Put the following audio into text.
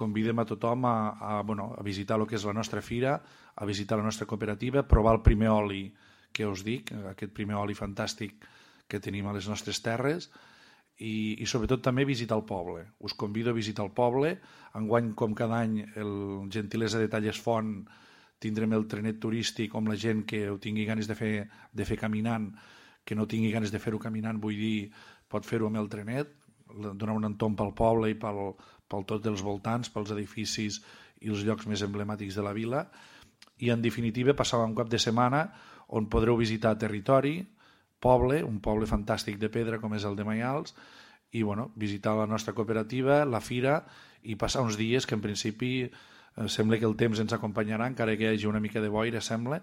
convidem a tothom a visitar el que és la nostra fira, a visitar la nostra cooperativa, provar el primer oli que us dic, aquest primer oli fantàstic que tenim a les nostres terres, i sobretot també visitar el poble. Us convido a visitar el poble. Enguany, com cada any, el Gentilesa de Talles Font, tindrem el trenet turístic on la gent que ho tingui ganes de fer caminant, que no tingui ganes de fer-ho caminant, vull dir, pot fer-ho amb el trenet, donar un entorn pel poble i pel tot dels voltants, pels edificis i els llocs més emblemàtics de la vila. I en definitiva passar un cap de setmana on podreu visitar territori, poble, un poble fantàstic de pedra com és el de Maials, i visitar la nostra cooperativa, la fira, i passar uns dies que en principi sembla que el temps ens acompanyarà, encara que hi hagi una mica de boira, sembla,